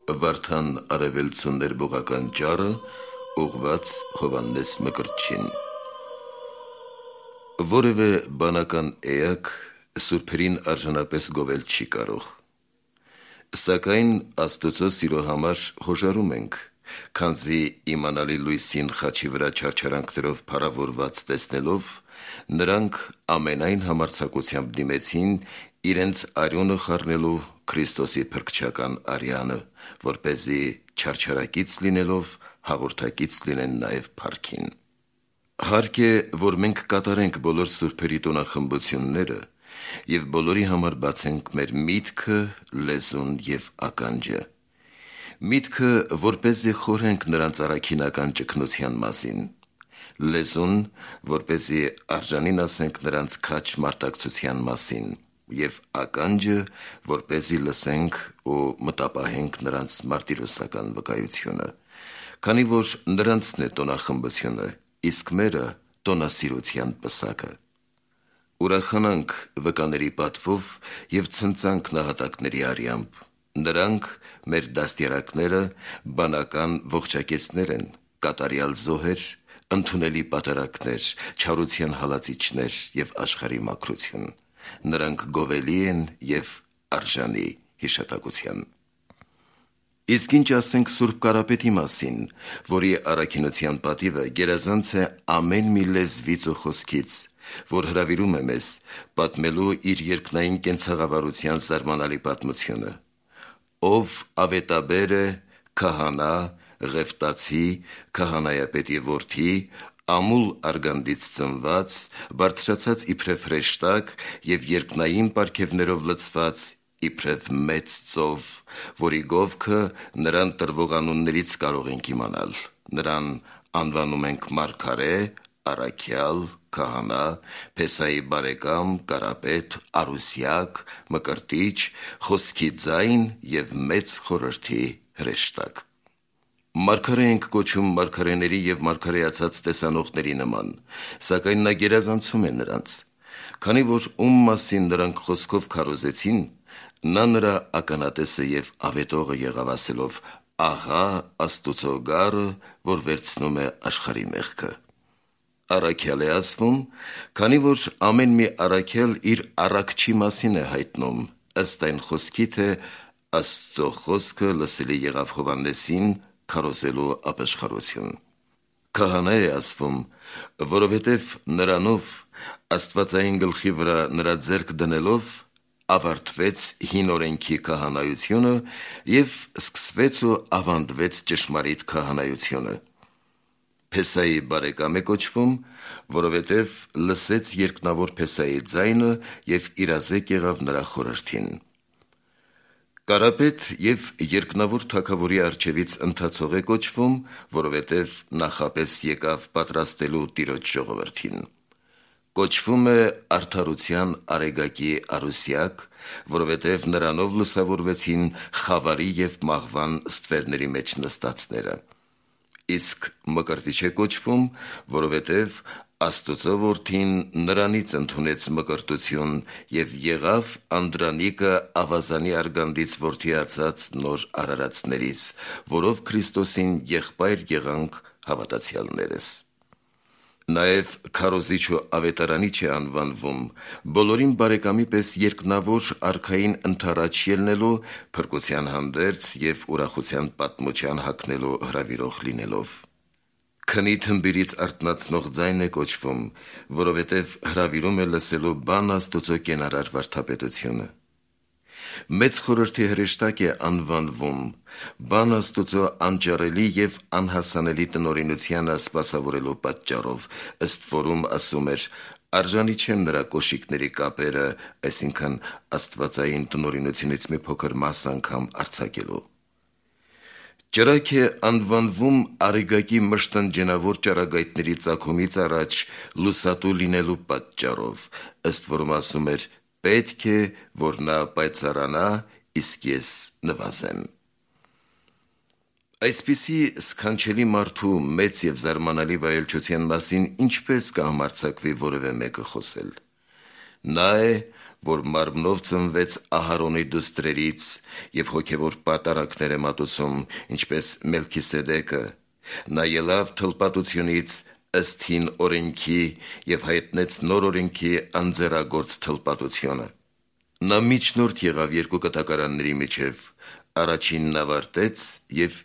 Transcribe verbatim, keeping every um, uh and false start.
Վարդան արևելցու ներբողական ճառը ուղված Հովհաննես Մկրտչին։ Որևէ բանական էակ սուրբերին արժանապես գովել չի կարող, սակայն Աստծո սիրո համար հոժարում ենք, քանզի իմանալի լույսին խաչի վրա չարչարանքներով փառավորված տեսնելով, նրանք ամենայն համարձակությամբ դիմեցին իրենց արյունը խառնելու Քրիստոսի փրկչական արյանը, որպեսզի չարչարակից լինելով հաղորդակից լինեն նաև փառքին։ Հարկ է, որ մենք կատարենք բոլոր սուրբերի տոնախմբությունները և բոլորի համար բացենք մեր միտքը, լեզուն և ականջը։ Միտքը, որպեսզի խորհենք նրանց առաքինական ճգնության մասին, լեզուն, որպեսզի արժանին ասենք նրանց քաջ մարտակցության մասին, և ականջը, որպեսզի լսենք ու մտապահենք նրանց մարտիրոսական վկայությունը, քանի որ նրանցն է տոնախմբությունը, իսկ մերը տոնասիրության պսակը։ Ուրախանանք վկաների պատվով և ցնծանք նահատակների արյամբ, նրանք մեր դաստիարակները բանական ողջակեցներ են, կատարյալ զոհեր, ընդունելի պատարակներ, չարության հալածիչներ և աշխարհի մաքրություն, նրանք գովելի են և արժանի հիշատակության։ Իսկ ինչ ասենք Սուրբ Կարապետի մասին, որի առաքինության պատիվը գերազանց է ամեն մի լեզվից ու խոսքից, որ հրավիրում է մեզ պատմելու իր երկնային կենցաղավարության զարմանալի պատմությունը, ով ավետաբեր է, քահանա, ղևտացի, քահանայապետի որդի, ամուլ արգանդից ծնված, բարձրացած իբրև հրեշտակ և երկնային պարգևներով լցված իբրև մեծ ծով, որի գովքը նրան տրվող անուններից կարող ենք իմանալ, նրան անվանում ենք մարգարե, առաքյալ, քահանա, Փեսայի բարեկամ, Կարապետ, Արուսյակ, Մկրտիչ, խոսքի ձայն և մեծ խորհրդի հրեշտակ։ Մարգարե ենք կոչում մարգարեների և մարգարեացած տեսանողների նման, սակայն նա գերազանցում է նրանց, քանի որ ում մասին նրանք խոսքով քարոզեցին, նա նրա ականատեսը և ավետողը եղավ ասելով. «Ահա Աստուծո գառը, որ վերցնում է աշխարհի մեղքը»։ Առաքյալ է ասվում, քանի որ ամեն մի առաքյալ իր առաքչի մասին է հայտնում, ըստ այն խոսքի, թե Աստծո խոսքը լսելի եղավ Հովհաննեսին քարոզելու ապաշխարություն։ Քահանա է ասվում, որովհետև նրանով, աստվածային գլխի վրա նրա ձեռք դնելով, ավարտվեց հին օրենքի քահանայությունը և սկսվեց ու ավանդվեց ճշմարիտ քահանայությունը։ Փեսայի բարեկամ է կոչվում, որովհետև լսեց երկնավոր Փեսայի ձայնը և իրազեկ եղավ նրա խորհրդին։ Կարապետ և երկնավոր թագավորի առջևից ընթացող է կոչվում, որովհետև նախապես եկավ պատրաստելու Տիրոջ ժողովրդին։ Կոչվում է արդարության արեգակի Արուսյակ, որովհետև նրանով լուսավորվեցին խավարի և մահվան ստվերների մեջ նստածները։ Իսկ Մկրտիչ է կոչվում, որովհետև Աստուծո որդին նրանից ընդունեց մկրտություն և եղավ Անդրանիկը ավազանի արգանդից որդիացած նոր արարածներից, որով Քրիստոսին եղբայր եղանք հավատացյալներս։ Նաև քարոզիչ ու ավետարանիչ է անվանվում, բոլորին բարեկամի պես երկնավոր արքային ընդառաջ ելնելու, փրկության հանդերձ և ուրախության պատմության հագնելու հրավիրող լինելով։ Քնի թմբիրից արթնացնող ձայն է կոչվում, որովհետև հրավիրում է լսելու բան Աստուծո կենարար վարդապետությունը։ Մեծ խորհրդի հրեշտակ է անվանվում, բան Աստուծո անճարելի և անհասանելի տնօրինությանը սպասավորելու պատճառով, ըստ որում ասում էր. «Արժանի չեմ նրա կոշիկների կապերը», այսինքն աստվածային տնօրինությունից մի փոքր մաս անգամ արձակելու։ Ճրագ է անվանվում Արեգակի մշտնջենավոր ճառագայթների ծագումից առաջ լուսատու լինելու պատճառով, ըստ որում ասում էր. «Պետք է, որ նա պայծառանա, իսկ ես նվազեմ»։ Այսպիսի սքանչելի մարդու մեծ և զարմանալի վայելչության մասին ինչպես կհամարձակվի որևէ մեկը խոսել։ Նա է, որ մարմնով ծնվեց Ահարոնի դուստրերից և հոգևոր պատարագներ է մատուցում, ինչպես Մելքիսեդեկը, նա ելավ թլպատությունից ըստ հին օրենքի և հայտնեց նոր օրենքի անձեռագործ թլպատությունը։ Նա միջնորդ եղավ երկու կտակարանների միջև, առաջինն ավարտեց և